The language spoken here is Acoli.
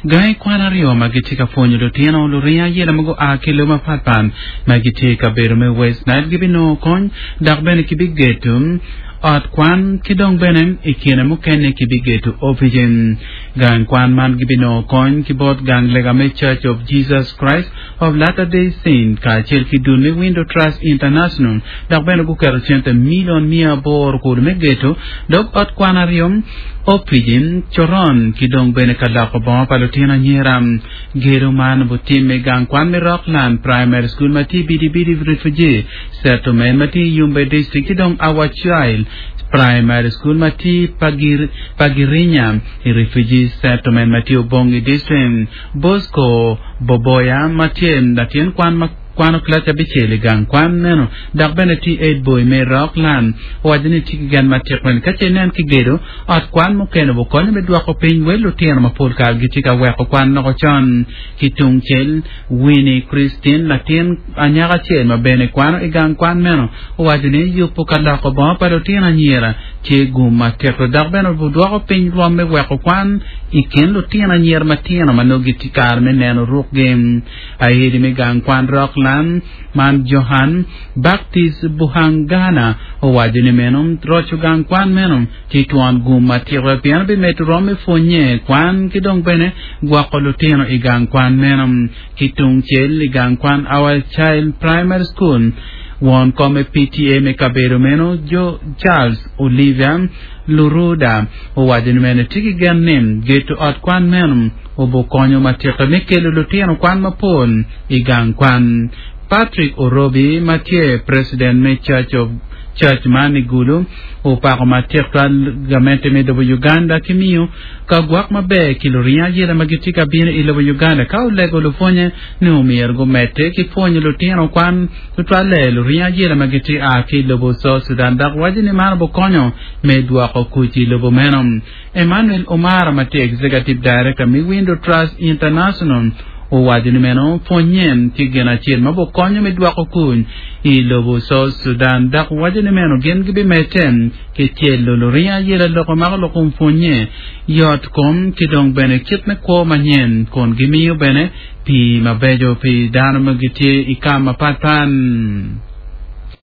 Gangi kwan aryo ma gitye ka pwonyo lutino luringo ayela ma gua ki i lobo mapatpat ma gitye i kabedo me West Nile gibinongo kony dok bene kibigeto ot kwan ki dong bene i kine mukene kibigeto opici. Gang kwan man gibinongo kony ki bot gang lega me Church of Jesus Christ of Latter-day Saints kacel ki dul me Window Trust International dok bene guketo cente milion 800 kulu me geto dog ot kwan aryo, opici, coron ki dong bene ka loko bongo pa lutino anyira. Gedo man butimme i gang kwan me Rockland Primary School ma tye i Bidibidi Refugee Settlement ma tye i Yumbe District ki dong Our Child Primary School ma tye Pagirinya i Refugee Settlement ma tye Obongi District. Bosco Boboya ma tye latin kwan ma kwano kilaci abicel i gang kwan meno dok bene tye head boy me Rockland owaco ni tye ki gen matik ni ka ce inen ki gedo ot kwan mukene obukonyo me dwoko piny wel lutino ma pol kare gitye ka weko kwan loko con. Ki tungcel, Winnie Christine latin anyaka acel ma bene kwano i gang kwan meno owaco ni yubo ka loko bongo pa lutino anyira tye gum matek dok bene obudwoko piny rwom me weko kwan i kin lutino anyira matino ma nongo gitye kare me neno rukgi. Aedi me gang kwan Rockland man Johan Baptist Buhangana owaco ni meno roco gang kwan meno tye twon gum matik pien bimedo rwom me pwonye kwan ki dong bene gwoko lutino i gang kwan meno. Ki tungcel i gang kwan Our Child Primary School, won kom me PTA me kabedo meno, Jo Charles Olivia Luruda owaco ni meno etye ki gen ni geto ot kwan meno obukonyo matika me kelo lutino kwan mapol i gang kwan. Patrick Orobi ma tye president me Church of Church man i Gulu opako matek twal gamente me lobo Uganda ki miyo ka gwok maber ki luringo ayela ma gitye ka bino i lobo Uganda ka olego lupwonye ni omyero gumedde ki pwonyo lutino kwan tutwalle luringo ayela ma gitye a ki i lobo South Sudan dok waco ni man obukonyo me dwoko kuc i lobo meno. Emmanuel Omara ma tye Executive Director me Window Trust International owaco ni meno pwonye tye gin acel ma obukonyo me dwoko kuc i lobo South Sudan dok waco ni meno gin gibimedde ki tyelo luringo ayela lok ma mako lok kom pwonye, yot kom ki dong bene kit me kwo manyen kun gimiyo bene pii mabeco pi dano ma gitye i kam mapatpat.